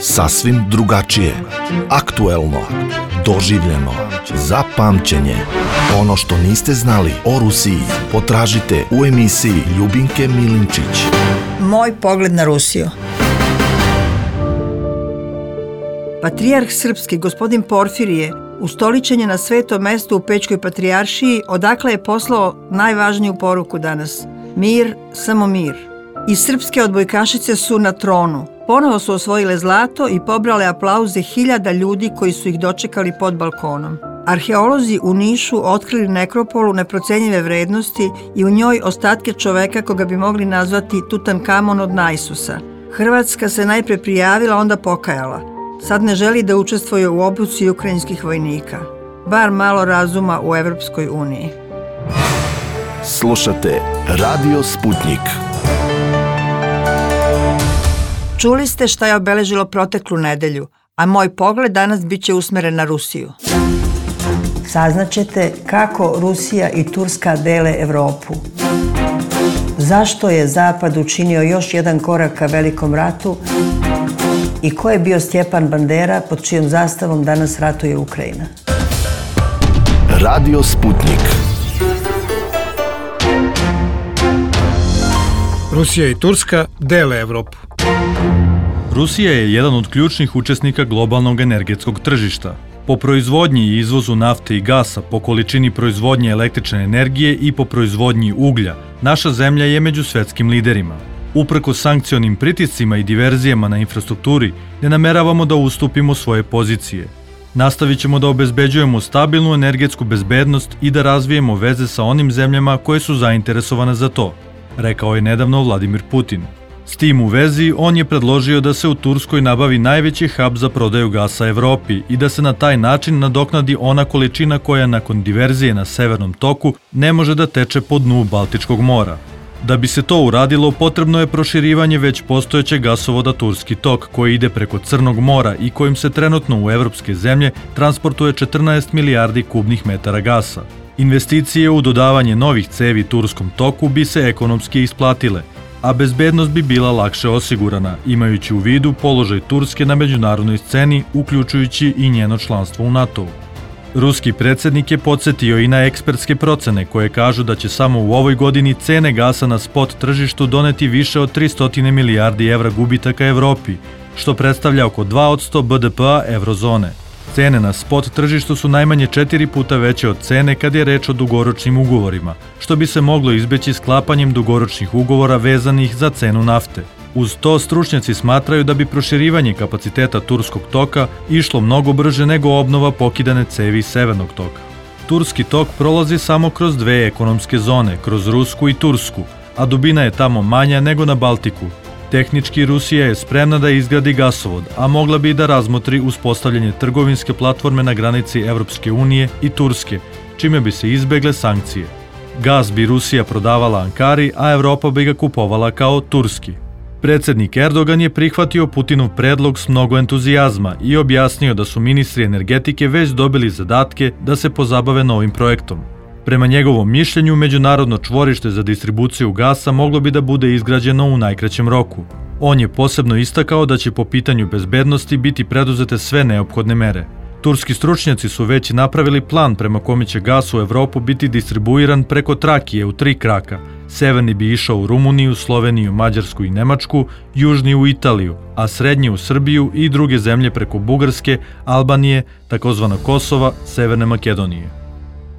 Sasvim drugačije, aktuelno, doživljeno, za pamćenje. Ono što niste znali o Rusiji potražite u emisiji Ljubinke Milinčić. Moj pogled na Rusiju. Patrijarh srpski, gospodin Porfirije, ustoličen je na svetom mestu u Pećkoj patrijaršiji, odakle je poslao najvažniju poruku danas. Mir, samo mir. I srpske odbojkašice su na tronu. Ponovo su osvojile zlato i pobrale aplauze hiljada ljudi koji su ih dočekali pod balkonom. Arheolozi u Nišu otkrili nekropolu neprocenjive vrednosti i u njoj ostatke čoveka koga bi mogli nazvati Tutankamon od Naisusa. Hrvatska se najpre prijavila, onda pokajala. Sad ne želi da učestvuje u obuci ukrajinskih vojnika. Bar malo razuma u Evropskoj uniji. Slušate Radio Sputnik. Čuli ste šta je obeležilo proteklu nedelju, a moj pogled danas bit će usmeren na Rusiju. Saznaćete kako Rusija i Turska dele Evropu. Zašto je Zapad učinio još jedan korak ka velikom ratu i ko je bio Stjepan Bandera pod čijom zastavom danas ratuje Ukrajina. Radio Sputnik. Rusija i Turska dele Evropu. Rusija je jedan od ključnih učesnika globalnog energetskog tržišta. Po proizvodnji i izvozu nafte i gasa, po količini proizvodnje električne energije i po proizvodnji uglja, naša zemlja je među svetskim liderima. Uprkos sankcionim pritiscima i diverzijama na infrastrukturi, ne nameravamo da ustupimo svoje pozicije. Nastavit ćemo da obezbeđujemo stabilnu energetsku bezbednost i da razvijemo veze sa onim zemljama koje su zainteresovane za to, rekao je nedavno Vladimir Putin. S tim u vezi, on je predložio da se u Turskoj nabavi najveći hub za prodaju gasa Evropi i da se na taj način nadoknadi ona količina koja nakon diverzije na Severnom toku ne može da teče po dnu Baltičkog mora. Da bi se to uradilo, potrebno je proširivanje već postojećeg gasovoda Turski tok, koji ide preko Crnog mora i kojim se trenutno u evropske zemlje transportuje 14 milijardi kubnih metara gasa. Investicije u dodavanje novih cevi Turskom toku bi se ekonomski isplatile, a bezbednost bi bila lakše osigurana, imajući u vidu položaj Turske na međunarodnoj sceni, uključujući i njeno članstvo u NATO-u. Ruski predsjednik je podsjetio i na ekspertske procene koje kažu da će samo u ovoj godini cene gasa na spot tržištu doneti više od 300 milijardi evra gubitaka Evropi, što predstavlja oko 2% BDP-a eurozone. Cene na spot tržištu su najmanje 4 puta veće od cene kad je reč o dugoročnim ugovorima, što bi se moglo izbeći sklapanjem dugoročnih ugovora vezanih za cenu nafte. Uz to, stručnjaci smatraju da bi proširivanje kapaciteta Turskog toka išlo mnogo brže nego obnova pokidane cevi Severnog toka. Turski tok prolazi samo kroz dve ekonomske zone, kroz Rusku i Tursku, a dubina je tamo manja nego na Baltiku. Tehnički, Rusija je spremna da izgradi gasovod, a mogla bi i da razmotri uspostavljanje trgovinske platforme na granici Evropske unije i Turske, čime bi se izbegle sankcije. Gas bi Rusija prodavala Ankari, a Evropa bi ga kupovala kao turski. Predsjednik Erdogan je prihvatio Putinov predlog s mnogo entuzijazma i objasnio da su ministri energetike već dobili zadatke da se pozabave novim projektom. Prema njegovom mišljenju, međunarodno čvorište za distribuciju gasa moglo bi da bude izgrađeno u najkraćem roku. On je posebno istakao da će po pitanju bezbednosti biti preduzete sve neophodne mere. Turski stručnjaci su već napravili plan prema kome će gas u Evropu biti distribuiran preko Trakije u 3 kraka. Severni bi išao u Rumuniju, Sloveniju, Mađarsku i Nemačku, južni u Italiju, a srednji u Srbiju i druge zemlje preko Bugarske, Albanije, takozvano Kosova, Severne Makedonije.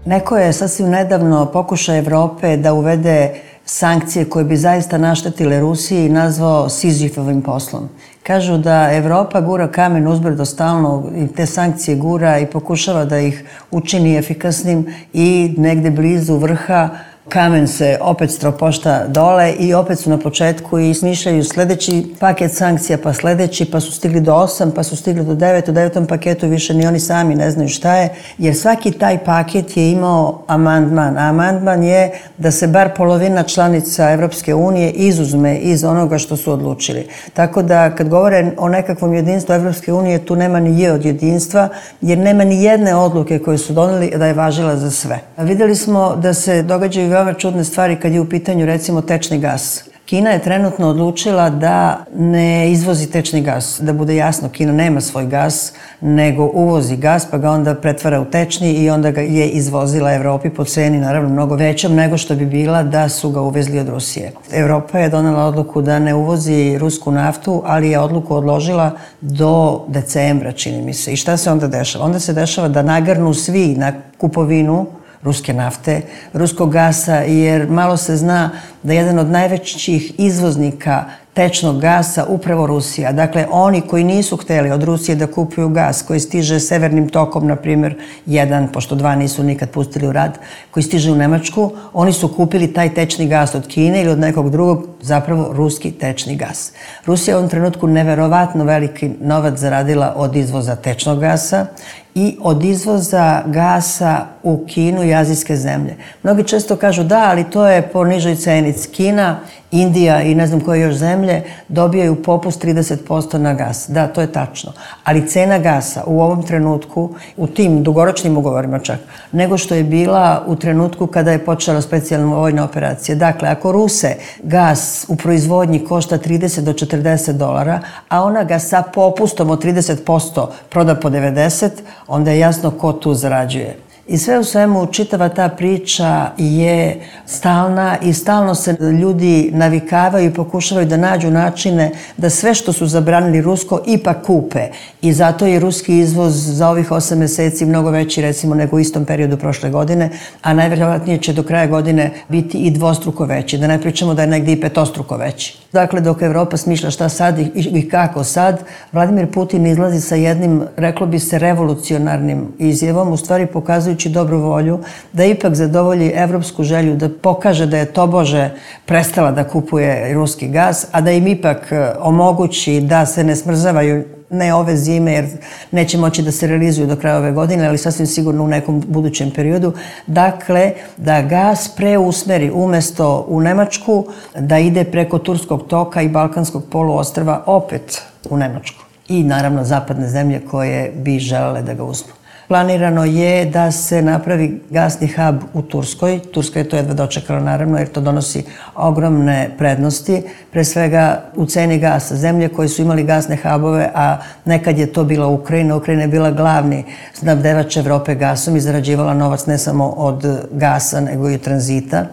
Neko je sasvim nedavno pokušao Evrope da uvede sankcije koje bi zaista naštetile Rusiji i nazvao Sizifovim poslom. Kažu da Evropa gura kamen uzbrdo stalno i te sankcije gura i pokušava da ih učini efikasnim i negde blizu vrha kamen se opet stropošta dole i opet su na početku i smišljaju sledeći paket sankcija, pa sledeći, pa su stigli do 8, pa su stigli do 9, u 9. paketu više ni oni sami ne znaju šta je, jer svaki taj paket je imao amandman. Amandman je da se bar polovina članica Evropske unije izuzme iz onoga što su odlučili. Tako da kad govore o nekakvom jedinstvu Evropske unije, tu nema ni je od jedinstva, jer nema ni jedne odluke koje su doneli da je važila za sve. Videli smo da se događaju veoma čudne stvari kad je u pitanju recimo tečni gas. Kina je trenutno odlučila da ne izvozi tečni gas. Da bude jasno, Kina nema svoj gas, nego uvozi gas, pa ga onda pretvara u tečni i onda ga je izvozila Evropi po ceni, naravno, mnogo većom nego što bi bila da su ga uvezli od Rusije. Evropa je donela odluku da ne uvozi rusku naftu, ali je odluku odložila do decembra, čini mi se. I šta se onda dešava? Onda se dešava da nagrnu svi na kupovinu ruske nafte, ruskog gasa, jer malo se zna da jedan od najvećih izvoznika tečnog gasa upravo Rusija. Dakle, oni koji nisu hteli od Rusije da kupuju gas, koji stiže severnim tokom, na primjer, jedan, pošto dva nisu nikad pustili u rad, koji stiže u Nemačku, oni su kupili taj tečni gas od Kine ili od nekog drugog, zapravo ruski tečni gas. Rusija u ovom trenutku neverovatno veliki novac zaradila od izvoza tečnog gasa i od izvoza gasa u Kinu i azijske zemlje. Mnogi često kažu da, ali to je po nižoj ceni. Kina, Indija i ne znam koje još zemlje dobijaju popust 30% na gas. Da, to je tačno. Ali cena gasa u ovom trenutku, u tim dugoročnim ugovorima čak, nego što je bila u trenutku kada je počela specijalna vojna operacija. Dakle, ako Ruse gas u proizvodnji košta 30 do 40 dolara, a ona ga sa popustom od 30% proda po 90, onda je jasno ko tu zarađuje. I sve u svemu, čitava ta priča je stalna i stalno se ljudi navikavaju i pokušavaju da nađu načine da sve što su zabranili rusko ipak kupe. I zato je ruski izvoz za ovih 8 meseci mnogo veći, recimo, nego u istom periodu prošle godine, a najvjerojatnije će do kraja godine biti i dvostruko veći. Da ne pričamo da je negdje i petostruko veći. Dakle, dok Evropa smišlja šta sad i kako sad, Vladimir Putin izlazi sa jednim, reklo bi se, revolucionarnim izjavom, u stvari pokazujući dobru volju, da ipak zadovolji evropsku želju, da pokaže da je tobože prestala da kupuje ruski gas, a da im ipak omogući da se ne smrzavaju ne ove zime, jer neće moći da se realizuju do kraja ove godine, ali sasvim sigurno u nekom budućem periodu. Dakle, da gas preusmeri umesto u Nemačku, da ide preko Turskog toka i Balkanskog poluostrva opet u Nemačku. I naravno zapadne zemlje koje bi želele da ga uzmu. Planirano je da se napravi gasni hub u Turskoj. Turska je to jedva dočekala, naravno, jer to donosi ogromne prednosti. Pre svega u ceni gasa. Zemlje koje su imali gasne hubove, a nekad je to bila Ukrajina. Ukrajina je bila glavni snabdevač Evrope gasom i zarađivala novac ne samo od gasa, nego i od tranzita.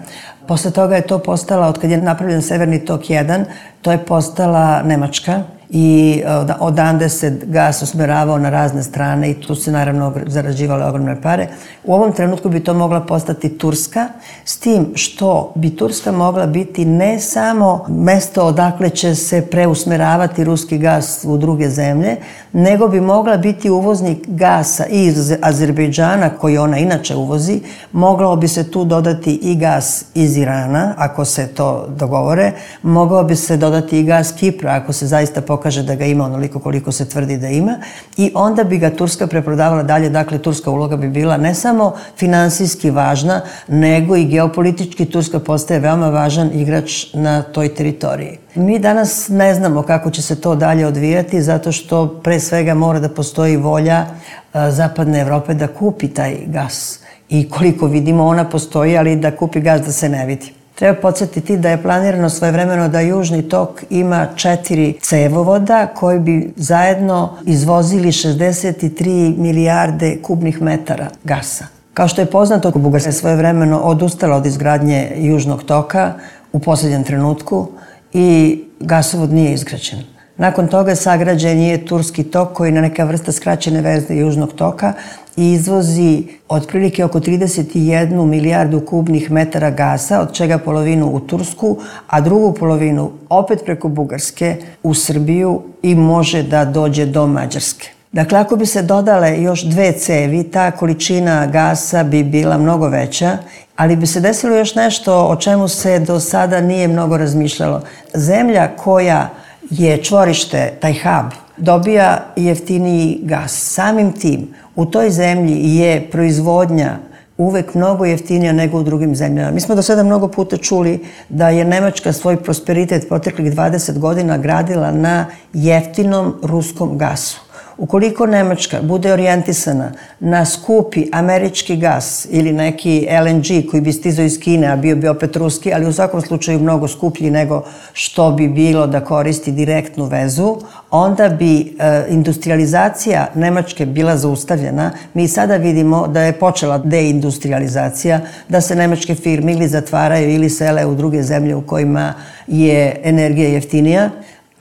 Posle toga je to postala, od kad je napravljen Severni tok 1, to je postala Nemačka. I odande se gas usmeravao na razne strane i tu se naravno zarađivale ogromne pare. U ovom trenutku bi to mogla postati Turska, s tim što bi Turska mogla biti ne samo mesto odakle će se preusmeravati ruski gas u druge zemlje, nego bi mogla biti uvoznik gasa iz Azerbejdžana, koji ona inače uvozi. Moglo bi se tu dodati i gas iz Irana, ako se to dogovore. Mogao bi se dodati i gas Kipra, ako se zaista pokaže da ga ima onoliko koliko se tvrdi da ima, i onda bi ga Turska preprodavala dalje. Dakle, turska uloga bi bila ne samo finansijski važna, nego i geopolitički. Turska postaje veoma važan igrač na toj teritoriji. Mi danas ne znamo kako će se to dalje odvijati, zato što pre svega mora da postoji volja zapadne Evrope da kupi taj gas. I koliko vidimo, ona postoji, ali da kupi gas da se ne vidi. Treba podsjetiti da je planirano svojevremeno da Južni tok ima 4 cevovoda koji bi zajedno izvozili 63 milijarde kubnih metara gasa. Kao što je poznato, Bugarska je svojevremeno odustala od izgradnje Južnog toka u posljednjem trenutku i gasovod nije izgrađen. Nakon toga sagrađen je Turski tok, koji je na neka vrsta skraćene verzije Južnog toka i izvozi otprilike oko 31 milijardu kubnih metara gasa, od čega polovinu u Tursku, a drugu polovinu opet preko Bugarske u Srbiju i može da dođe do Mađarske. Dakle, ako bi se dodale još 2 cevi, ta količina gasa bi bila mnogo veća, ali bi se desilo još nešto o čemu se do sada nije mnogo razmišljalo. Zemlja koja je čvorište, taj hub, dobija jeftiniji gas. Samim tim, u toj zemlji je proizvodnja uvek mnogo jeftinija nego u drugim zemljama. Mi smo do sada mnogo puta čuli da je Nemačka svoj prosperitet proteklih 20 godina gradila na jeftinom ruskom gasu. Ukoliko Nemačka bude orijentisana na skupi američki gas ili neki LNG koji bi stizao iz Kine, a bio bi opet ruski, ali u svakom slučaju mnogo skuplji nego što bi bilo da koristi direktnu vezu, onda bi industrializacija Nemačke bila zaustavljena. Mi sada vidimo da je počela deindustrializacija, da se nemačke firme ili zatvaraju ili sele u druge zemlje u kojima je energija jeftinija,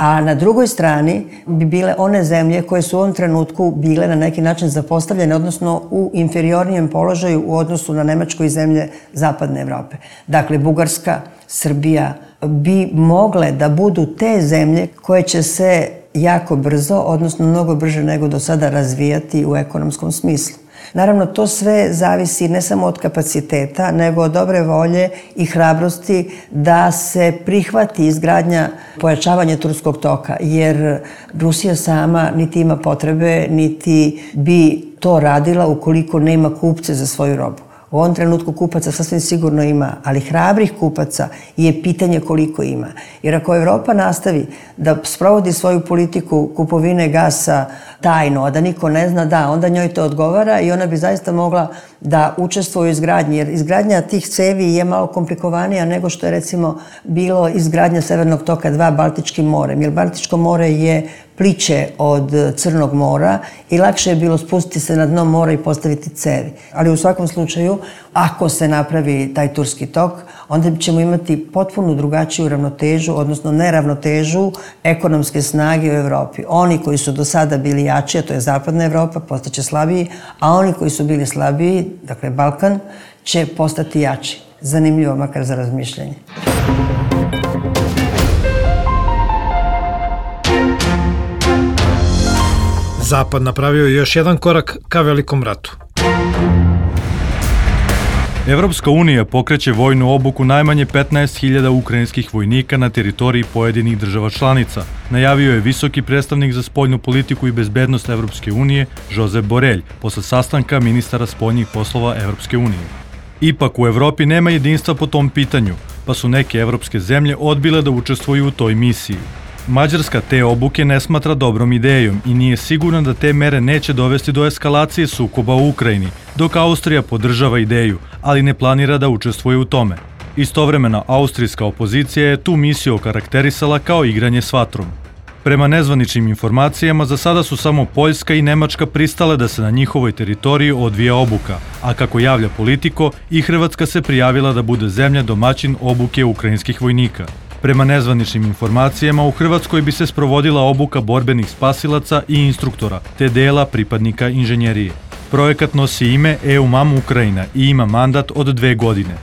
a na drugoj strani bi bile one zemlje koje su u ovom trenutku bile na neki način zapostavljene, odnosno u inferiornijem položaju u odnosu na Nemačko i zemlje Zapadne Evrope. Dakle, Bugarska, Srbija bi mogle da budu te zemlje koje će se jako brzo, odnosno mnogo brže nego do sada razvijati u ekonomskom smislu. Naravno, to sve zavisi ne samo od kapaciteta, nego od dobre volje i hrabrosti da se prihvati izgradnja pojačavanja turskog toka, jer Rusija sama niti ima potrebe, niti bi to radila ukoliko nema kupce za svoju robu. U ovom trenutku kupaca sasvim sigurno ima, ali hrabrih kupaca je pitanje koliko ima. Jer ako Evropa nastavi da sprovodi svoju politiku kupovine gasa tajno, a da niko ne zna, da, onda njoj to odgovara i ona bi zaista mogla da učestvuje u izgradnji. Jer izgradnja tih cevi je malo komplikovanija nego što je recimo bilo izgradnja Severnog toka 2 Baltičkim morem. Jer Baltičko more je pliće od Crnog mora i lakše je bilo spustiti se na dno mora i postaviti cevi. Ali u svakom slučaju, ako se napravi taj turski tok, onda ćemo imati potpuno drugačiju ravnotežu, odnosno neravnotežu ekonomske snage u Evropi. Oni koji su do sada bili jači, a to je Zapadna Evropa, postaće slabiji, a oni koji su bili slabiji, dakle Balkan, će postati jači. Zanimljivo, makar za razmišljanje. Zapad napravio još jedan korak ka velikom ratu. Evropska unija pokreće vojnu obuku najmanje 15.000 ukrajinskih vojnika na teritoriji pojedinih država članica, najavio je visoki predstavnik za spoljnu politiku i bezbednost Evropske unije Josep Borrell posle sastanka ministara spoljnih poslova Evropske unije. Ipak u Evropi nema jedinstva po tom pitanju, pa su neke evropske zemlje odbile da učestvuju u toj misiji. Mađarska te obuke ne smatra dobrom idejom i nije sigurna da te mere neće dovesti do eskalacije sukoba u Ukrajini, dok Austrija podržava ideju, ali ne planira da učestvuje u tome. Istovremeno, austrijska opozicija je tu misiju okarakterisala kao igranje s vatrom. Prema nezvaničnim informacijama, za sada su samo Poljska i Nemačka pristale da se na njihovoj teritoriji odvija obuka, a kako javlja Politico, i Hrvatska se prijavila da bude zemlja domaćin obuke ukrajinskih vojnika. Prema nezvaničnim informacijama, u Hrvatskoj bi se sprovodila obuka borbenih spasilaca i instruktora, te dela pripadnika inženjerije. Projekat nosi ime EUMAM Ukrajina i ima mandat od 2 godine.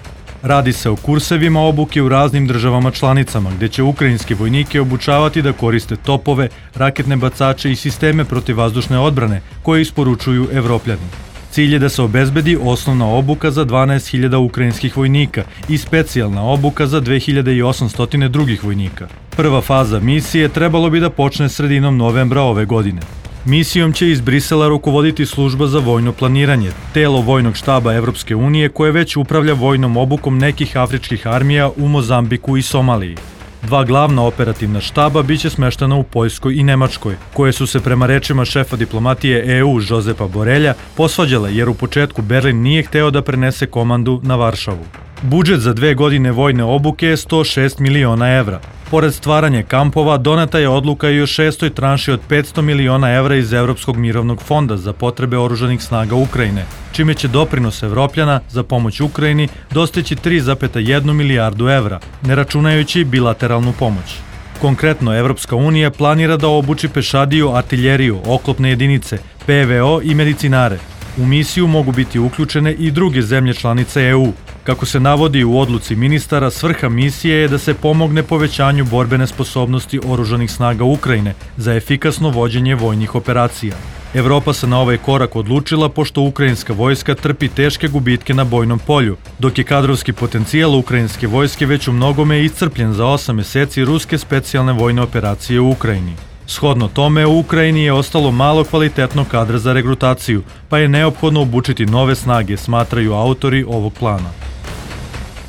Radi se o kursevima obuke u raznim državama članicama, gde će ukrajinski vojnike obučavati da koriste topove, raketne bacače i sisteme protivvazdušne odbrane koje isporučuju Evropljani. Cilj je da se obezbedi osnovna obuka za 12.000 ukrajinskih vojnika i specijalna obuka za 2.800 drugih vojnika. Prva faza misije trebalo bi da počne sredinom novembra ove godine. Misijom će iz Brisela rukovoditi služba za vojno planiranje, telo vojnog štaba Evropske unije koje već upravlja vojnom obukom nekih afričkih armija u Mozambiku i Somaliji. 2 glavna operativna štaba biće smeštena u Poljskoj i Nemačkoj, koje su se prema rečima šefa diplomatije EU Josepa Borrella posvađale jer u početku Berlin nije hteo da prenese komandu na Varšavu. Budžet za 2 godine vojne obuke je 106 miliona evra. Pored stvaranja kampova, doneta je odluka i o 6. tranši od 500 miliona evra iz Evropskog mirovnog fonda za potrebe oružanih snaga Ukrajine, čime će doprinos Evropljana za pomoć Ukrajini dostići 3,1 milijardu evra, ne računajući bilateralnu pomoć. Konkretno, Evropska unija planira da obuči pešadiju, artiljeriju, oklopne jedinice, PVO i medicinare. U misiju mogu biti uključene i druge zemlje članice EU. Kako se navodi u odluci ministara, svrha misije je da se pomogne povećanju borbene sposobnosti oružanih snaga Ukrajine za efikasno vođenje vojnih operacija. Evropa se na ovaj korak odlučila pošto ukrajinska vojska trpi teške gubitke na bojnom polju, dok je kadrovski potencijal ukrajinske vojske već u mnogome iscrpljen za 8 meseci ruske specijalne vojne operacije u Ukrajini. Shodno tome, u Ukrajini je ostalo malo kvalitetnog kadra za regrutaciju, pa je neophodno obučiti nove snage, smatraju autori ovog plana.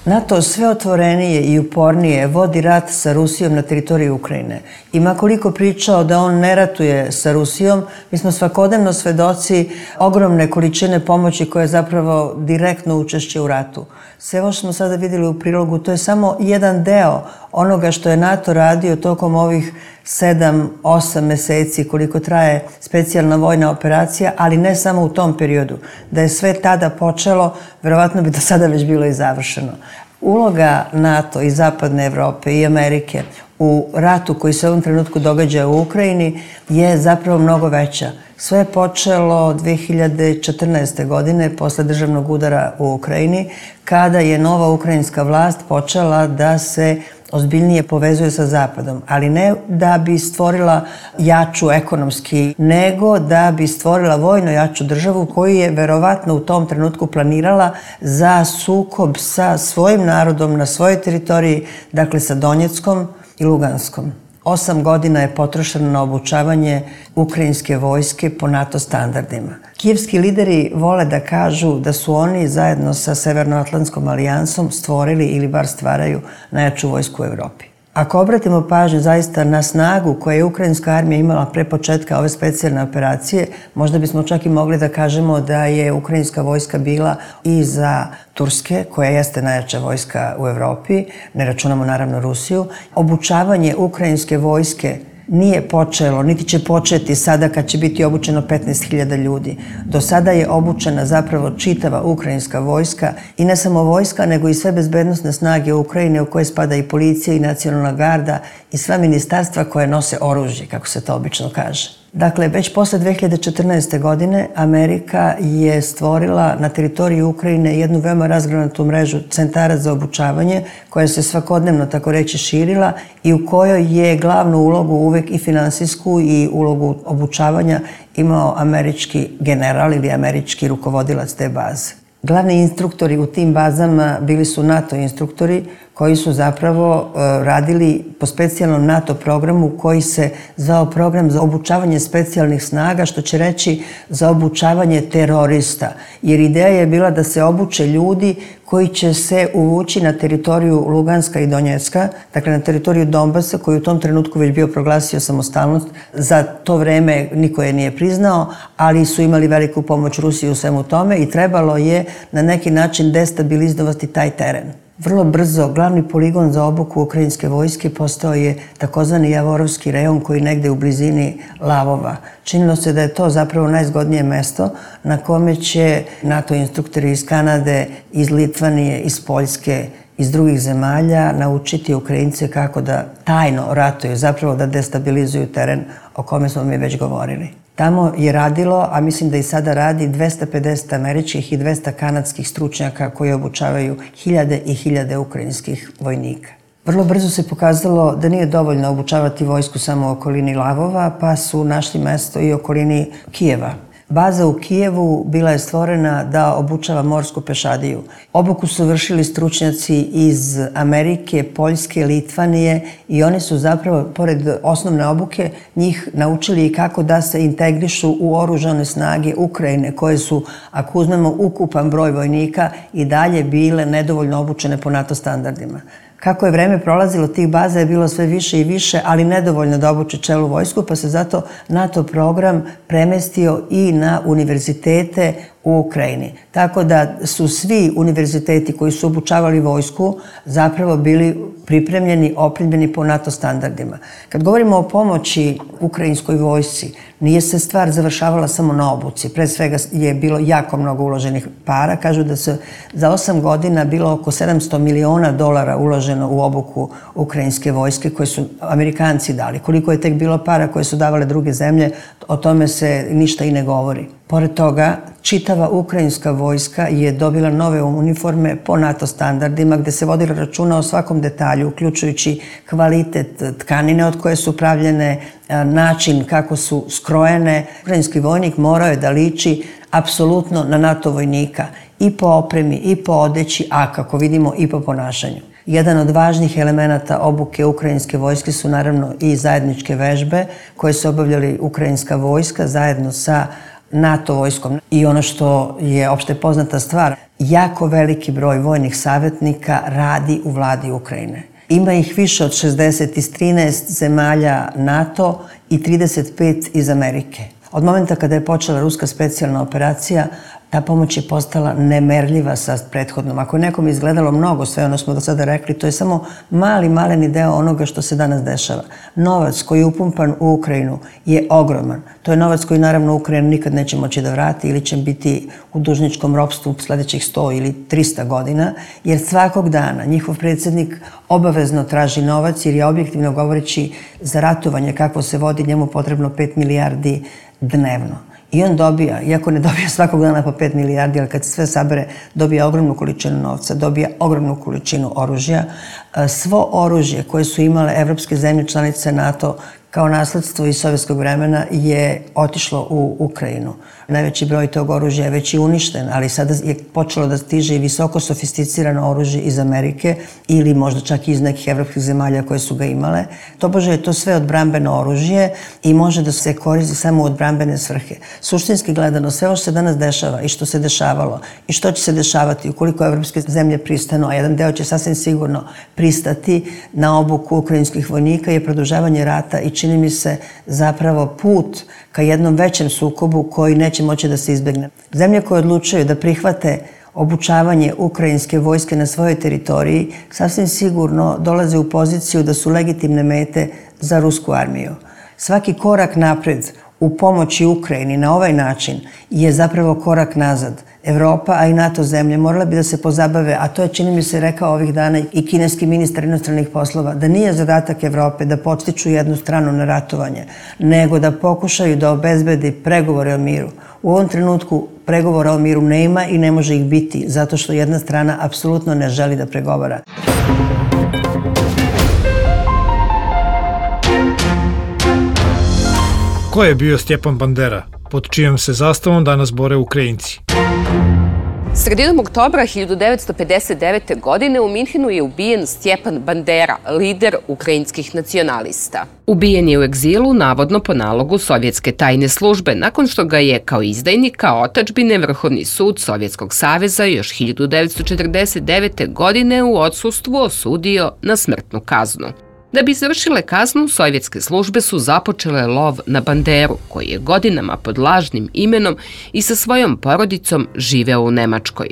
NATO sve otvorenije i upornije vodi rat sa Rusijom na teritoriji Ukrajine. I makoliko pričao da on ne ratuje sa Rusijom, mi smo svakodnevno svedoci ogromne količine pomoći koja je zapravo direktno učešće u ratu. Sve ovo što smo sada vidjeli u prilogu, to je samo jedan deo onoga što je NATO radio tokom ovih 7-8 meseci koliko traje specijalna vojna operacija, ali ne samo u tom periodu. Da je sve tada počelo, verovatno bi do sada već bilo i završeno. Uloga NATO i Zapadne Evrope i Amerike u ratu koji se u ovom trenutku događa u Ukrajini je zapravo mnogo veća. Sve je počelo 2014. godine posle državnog udara u Ukrajini, kada je nova ukrajinska vlast počela da se ozbiljnije povezuje sa Zapadom, ali ne da bi stvorila jaču ekonomski, nego da bi stvorila vojno jaču državu koju je verovatno u tom trenutku planirala za sukob sa svojim narodom na svojoj teritoriji, dakle sa Donjeckom i Luganskom. 8 godina je potrošeno na obučavanje ukrajinske vojske po NATO standardima. Kijevski lideri vole da kažu da su oni zajedno sa Severnoatlantskom alijansom stvorili ili bar stvaraju najjaču vojsku u Evropi. Ako obratimo pažnju zaista na snagu koju je ukrajinska armija imala pre početka ove specijalne operacije, možda bismo čak i mogli da kažemo da je ukrajinska vojska bila i za Turske, koja jeste najjača vojska u Evropi, ne računamo naravno Rusiju. Obučavanje ukrajinske vojske nije počelo, niti će početi sada kad će biti obučeno 15.000 ljudi. Do sada je obučena zapravo čitava ukrajinska vojska i ne samo vojska, nego i sve bezbednosne snage Ukrajine u koje spada i policija i nacionalna garda i sva ministarstva koje nose oružje, kako se to obično kaže. Dakle, već posle 2014. godine Amerika je stvorila na teritoriji Ukrajine jednu veoma razgranatu mrežu centara za obučavanje koja se svakodnevno, tako reći, širila i u kojoj je glavnu ulogu uvek i finansijsku i ulogu obučavanja imao američki general ili američki rukovodilac te baze. Glavni instruktori u tim bazama bili su NATO instruktori koji su zapravo radili po specijalnom NATO programu koji se zvao program za obučavanje specijalnih snaga, što će reći za obučavanje terorista. Jer ideja je bila da se obuče ljudi koji će se uvući na teritoriju Luganska i Donjecka, dakle na teritoriju Donbasa, koji u tom trenutku već bio proglasio samostalnost. Za to vreme niko je nije priznao, ali su imali veliku pomoć Rusiji u svemu tome i trebalo je na neki način destabilizovati taj teren. Vrlo brzo glavni poligon za obuku ukrajinske vojske postao je takozvani Javorovski rejon koji je negde u blizini Lavova. Činilo se da je to zapravo najzgodnije mesto na kome će NATO instruktori iz Kanade, iz Litvanije, iz Poljske, iz drugih zemalja naučiti Ukrajince kako da tajno ratuju, zapravo da destabilizuju teren o kome smo mi već govorili. Tamo je radilo, a mislim da i sada radi, 250 američkih i 200 kanadskih stručnjaka koji obučavaju hiljade i hiljade ukrajinskih vojnika. Vrlo brzo se pokazalo da nije dovoljno obučavati vojsku samo u okolini Lavova, pa su našli mesto i u okolini Kijeva. Baza u Kijevu bila je stvorena da obučava morsku pešadiju. Obuku su vršili stručnjaci iz Amerike, Poljske, Litvanije i oni su zapravo, pored osnovne obuke, njih naučili i kako da se integrišu u oružane snage Ukrajine, koje su, ako uzmemo ukupan broj vojnika, i dalje bile nedovoljno obučene po NATO standardima. Kako je vreme prolazilo, tih baza je bilo sve više i više, ali nedovoljno da obuče celu vojsku, pa se zato NATO program premestio i na univerzitete u Ukrajini. Tako da su svi univerziteti koji su obučavali vojsku zapravo bili pripremljeni, opremljeni po NATO standardima. Kad govorimo o pomoći ukrajinskoj vojsci, nije se stvar završavala samo na obuci. Pre svega je bilo jako mnogo uloženih para. Kažu da se za 8 godina bilo oko $700 miliona uloženo u obuku ukrajinske vojske koje su Amerikanci dali. Koliko je tek bilo para koje su davale druge zemlje, o tome se ništa i ne govori. Pored toga, čitava ukrajinska vojska je dobila nove uniforme po NATO standardima gde se vodilo računa o svakom detalju, uključujući kvalitet tkanine od koje su pravljene, način kako su skrojene. Ukrajinski vojnik morao je da liči apsolutno na NATO vojnika i po opremi, i po odeći, a kako vidimo i po ponašanju. Jedan od važnih elemenata obuke ukrajinske vojske su naravno i zajedničke vežbe koje su obavljali ukrajinska vojska zajedno sa NATO vojskom. I ono što je opšte poznata stvar, jako veliki broj vojnih savjetnika radi u vladi Ukrajine. Ima ih više od 60 iz 13 zemalja NATO i 35 iz Amerike. Od momenta kada je počela ruska specijalna operacija, ta pomoć je postala nemerljiva sa prethodnom. Ako je nekom izgledalo mnogo, sve ono smo do sada rekli, to je samo maleni deo onoga što se danas dešava. Novac koji je upumpan u Ukrajinu je ogroman. To je novac koji naravno Ukrajina nikad neće moći da vrati ili će biti u dužničkom ropstvu sledećih 100 ili 300 godina, jer svakog dana njihov predsjednik obavezno traži novac, jer je objektivno govoreći za ratovanje kako se vodi njemu potrebno 5 milijardi dnevno. I on dobija, iako ne dobija svakog dana po 5 milijardi, ali kad se sve sabere, dobija ogromnu količinu novca, dobija ogromnu količinu oružja. Svo oružje koje su imale evropske zemlje članice NATO kao nasledstvo iz sovjetskog vremena je otišlo u Ukrajinu. Najveći broj tog oružja je već i uništen, ali sada je počelo da stiže i visoko sofisticirano oružje iz Amerike ili možda čak i iz nekih evropskih zemalja koje su ga imale. Tobože je to sve odbrambeno oružje i može da se koristi samo u odbrambene svrhe. Suštinski gledano, sve ovo što se danas dešava i što se dešavalo i što će se dešavati ukoliko evropske zemlje pristanu, a jedan deo će sasvim sigurno pristati na obuku ukrajinskih vojnika, je produžavanje rata i čini mi se zapravo put ka jednom većem sukobu koji neće moći da se izbegne. Zemlje koje odlučuju da prihvate obučavanje ukrajinske vojske na svojoj teritoriji sasvim sigurno dolaze u poziciju da su legitimne mete za rusku armiju. Svaki korak napred u pomoći Ukrajini na ovaj način je zapravo korak nazad. Evropa, a i NATO zemlje morale bi da se pozabave, a to je, čini mi se, rekao ovih dana i kineski ministar inostranih poslova, da nije zadatak Evrope da podstiču jednu stranu na ratovanje, nego da pokušaju da obezbedi pregovore o miru. U ovom trenutku pregovora o miru nema i ne može ih biti, zato što jedna strana apsolutno ne želi da pregovara. Ko je bio Stjepan Bandera, pod čijom se zastavom danas bore Ukrajinci? Sredinom oktobra 1959. godine u Minhenu je ubijen Stjepan Bandera, lider ukrajinskih nacionalista. Ubijen je u egzilu, navodno po nalogu sovjetske tajne službe, nakon što ga je kao izdajnika otadžbine Vrhovni sud Sovjetskog saveza još 1949. godine u odsustvu osudio na smrtnu kaznu. Da bi završile kaznu, sovjetske službe su započele lov na Banderu, koji je godinama pod lažnim imenom i sa svojom porodicom živeo u Nemačkoj.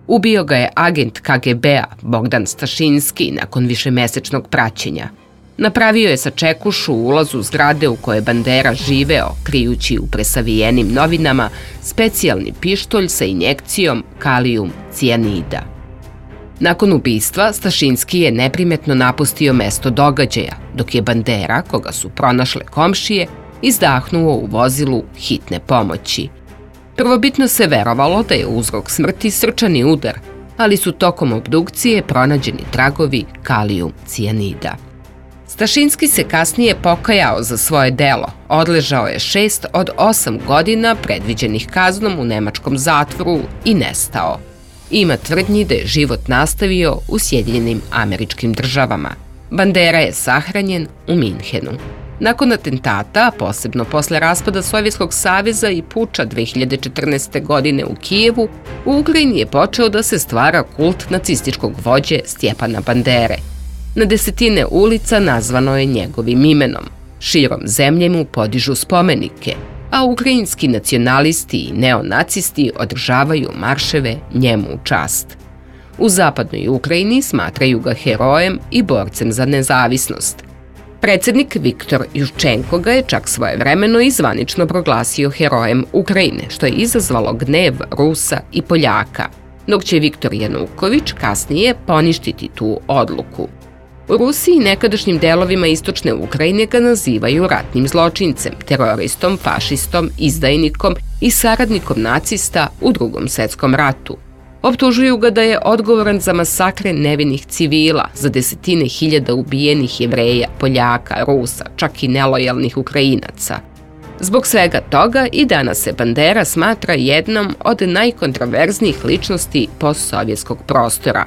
Ubio ga je agent KGB-a Bogdan Stašinski nakon višemesečnog praćenja. Napravio je sačekušu u ulazu zgrade u kojoj je Bandera živeo, krijući u presavijenim novinama specijalni pištolj sa injekcijom kalijum cijanida. Nakon ubistva, Stašinski je neprimetno napustio mesto događaja, dok je Bandera, koga su pronašle komšije, izdahnuo u vozilu hitne pomoći. Prvobitno se verovalo da je uzrok smrti srčani udar, ali su tokom obdukcije pronađeni tragovi kalijum cijanida. Stašinski se kasnije pokajao za svoje delo, odležao je 6 od 8 godina predviđenih kaznom u nemačkom zatvoru i nestao. Ima tvrdnji da je život nastavio u Sjedinjenim Američkim Državama. Bandera je sahranjen u Minhenu. Nakon atentata, a posebno posle raspada Sovjetskog saveza i puča 2014. godine u Kijevu, u Ukrajini je počeo da se stvara kult nacističkog vođe Stjepana Bandere. Na desetine ulica nazvano je njegovim imenom. Širom zemlje mu podižu spomenike, a ukrajinski nacionalisti i neonacisti održavaju marševe njemu u čast. U zapadnoj Ukrajini smatraju ga herojem i borcem za nezavisnost. Predsjednik Viktor Juščenko ga je čak svojevremeno i zvanično proglasio herojem Ukrajine, što je izazvalo gnev Rusa i Poljaka, dok će Viktor Januković kasnije poništiti tu odluku. U Rusiji i nekadašnjim delovima istočne Ukrajine ga nazivaju ratnim zločincem, teroristom, fašistom, izdajnikom i saradnikom nacista u Drugom svjetskom ratu. Optužuju ga da je odgovoran za masakre nevinih civila, za desetine hiljada ubijenih Jevreja, Poljaka, Rusa, čak i nelojalnih Ukrajinaca. Zbog svega toga i danas se Bandera smatra jednom od najkontroverznijih ličnosti postsovjetskog prostora.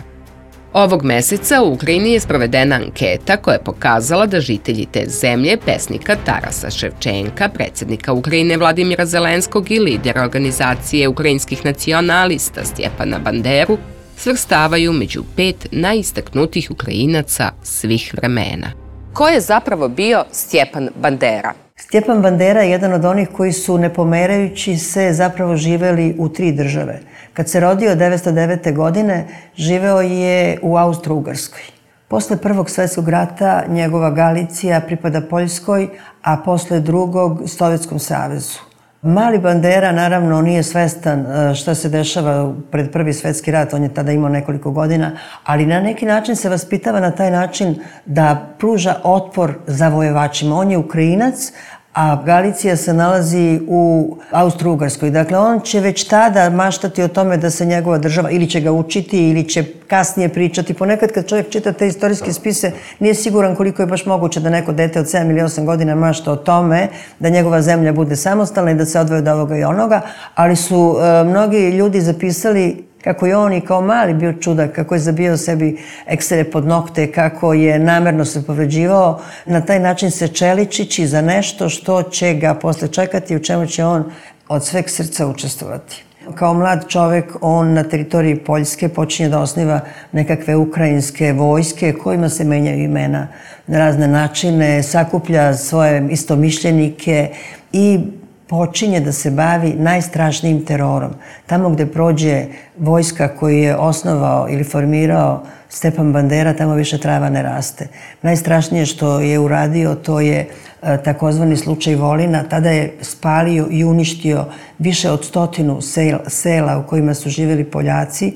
Ovog meseca u Ukrajini je sprovedena anketa koja je pokazala da žitelji te zemlje, pesnika Tarasa Ševčenka, predsjednika Ukrajine Vladimira Zelenskog i lidera organizacije ukrajinskih nacionalista Stjepana Banderu, svrstavaju među 5 najistaknutijih Ukrajinaca svih vremena. Ko je zapravo bio Stjepan Bandera? Stjepan Bandera je jedan od onih koji su, ne pomerajući se, zapravo živeli u 3 države. Kad se rodio 1909. godine, živeo je u Austro-Ugarskoj. Posle Prvog svjetskog rata njegova Galicija pripada Poljskoj, a posle Drugog Sovjetskom savezu. Mali Bandera naravno nije svestan šta se dešava pred Prvi svjetski rat, on je tada imao nekoliko godina, ali na neki način se vaspitava na taj način da pruža otpor zavojevačima. On je Ukrajinac, a Galicija se nalazi u Austro-Ugarskoj. Dakle, on će već tada maštati o tome da se njegova država, ili će ga učiti, ili će kasnije pričati. Ponekad kad čovjek čita te istorijske spise, nije siguran koliko je baš moguće da neko dete od 7 ili 8 godina mašta o tome da njegova zemlja bude samostalna i da se odvoje od ovoga i onoga, ali su mnogi ljudi zapisali kako je on i kao mali bio čudak, kako je zabijao sebi eksere pod nokte, kako je namerno se povređivao, na taj način se čeličići za nešto što će ga posle čekati, u čemu će on od sveg srca učestvovati. Kao mlad čovjek, on na teritoriji Poljske počinje da osniva nekakve ukrajinske vojske kojima se menjaju imena na razne načine, sakuplja svoje istomišljenike i počinje da se bavi najstrašnijim terorom. Tamo gde prođe vojska koju je osnovao ili formirao Stjepan Bandera, tamo više trava ne raste. Najstrašnije što je uradio, to je takozvani slučaj Volina. Tada je spalio i uništio više od 100 sela u kojima su živjeli Poljaci.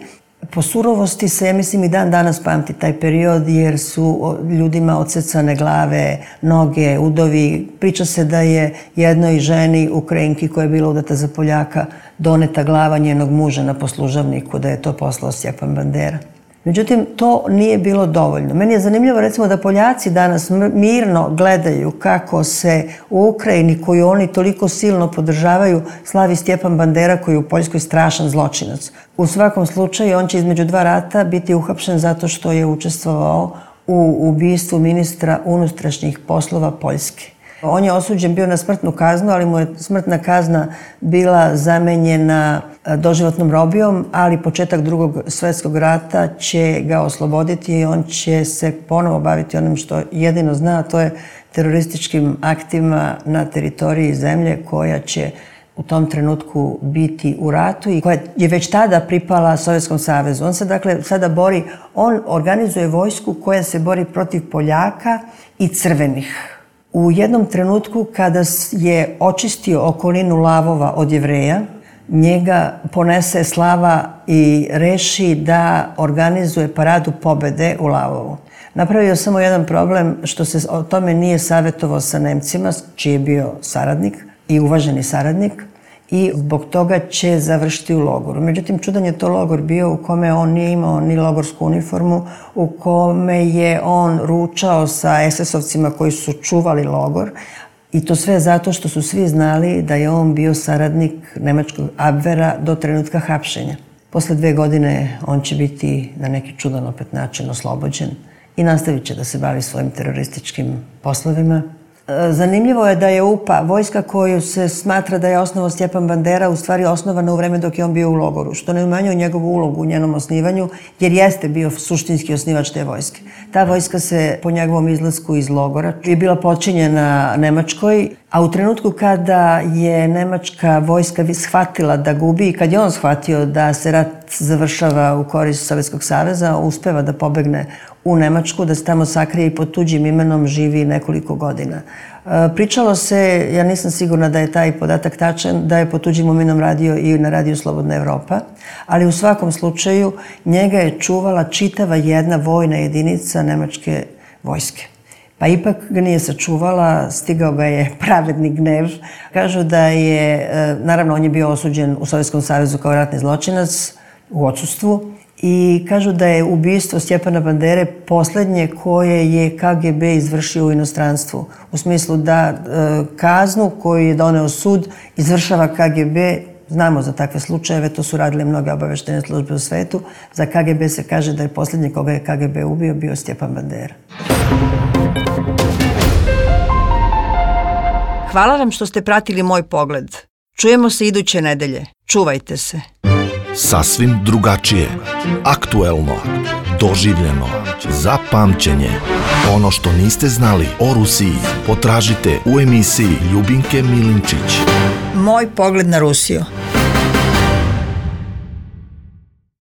Po surovosti se, ja mislim, i dan danas pamti taj period, jer su ljudima odsecane glave, noge, udovi. Priča se da je jednoj ženi, Ukrajinki koja je bila udata za Poljaka, doneta glava njenog muža na poslužavniku, da je to poslao Stjepan Bandera. Međutim, to nije bilo dovoljno. Meni je zanimljivo, recimo, da Poljaci danas mirno gledaju kako se u Ukrajini, koju oni toliko silno podržavaju, slavi Stjepan Bandera, koji je u Poljskoj strašan zločinac. U svakom slučaju, on će između 2 rata biti uhapšen zato što je učestvovao u ubistvu ministra unutrašnjih poslova Poljske. On je osuđen bio na smrtnu kaznu, ali mu je smrtna kazna bila zamenjena doživotnom robijom, ali početak Drugog svjetskog rata će ga osloboditi i on će se ponovo baviti onim što jedino zna, a to je terorističkim aktima na teritoriji zemlje koja će u tom trenutku biti u ratu i koja je već tada pripala Sovjetskom savezu. On se dakle sada bori, on organizuje vojsku koja se bori protiv Poljaka i crvenih. U jednom trenutku kada je očistio okolinu Lavova od Jevreja, njega ponese slava i reši da organizuje paradu pobede u Lavovu. Napravio samo jedan problem što se o tome nije savjetovao sa Nemcima, čiji je bio saradnik i uvaženi saradnik, i zbog toga će završiti u logoru. Međutim, čudan je to logor bio u kome on nije imao ni logorsku uniformu, u kome je on ručao sa SS-ovcima koji su čuvali logor, i to sve zato što su svi znali da je on bio saradnik nemačkog Abvera do trenutka hapšenja. Posle 2 godine on će biti na neki čudan opet način oslobođen i nastavit će da se bavi svojim terorističkim poslovima. Zanimljivo je da je UPA, vojska koju se smatra da je osnovao Stjepan Bandera, u stvari osnovana u vreme dok je on bio u logoru, što ne umanjuje njegovu ulogu u njenom osnivanju, jer jeste bio suštinski osnivač te vojske. Ta vojska se po njegovom izlasku iz logora je bila počinjena Nemačkoj, a u trenutku kada je nemačka vojska shvatila da gubi i kad je on shvatio da se rat završava u korist Sovjetskog saveza, uspeva da pobegne u Nemačku, da se tamo sakrije i pod tuđim imenom živi nekoliko godina. Pričalo se, ja nisam sigurna da je taj podatak tačan, da je pod tuđim imenom radio i na radiju Slobodna Evropa, ali u svakom slučaju njega je čuvala čitava jedna vojna jedinica nemačke vojske. Pa ipak ga nije sačuvala, stigao ga je pravedni gnev. Kažu da je, naravno on je bio osuđen u Sovjetskom savezu kao ratni zločinac u odsustvu, i kažu da je ubistvo Stjepana Bandere posljednje koje je KGB izvršio u inostranstvu. U smislu da kaznu koju je doneo sud izvršava KGB Znamo za takve slučajeve, to su radile mnoge obaveštene službe u svetu. Za KGB se kaže da je posljednji koga je KGB ubio bio Stjepan Bandera. Hvala vam što ste pratili Moj pogled. Čujemo se iduće nedelje. Čuvajte se. Sasvim drugačije, aktuelno, doživljeno, za pamćenje. Ono što niste znali o Rusiji potražite u emisiji Ljubinke Milinčić. Moj pogled na Rusiju.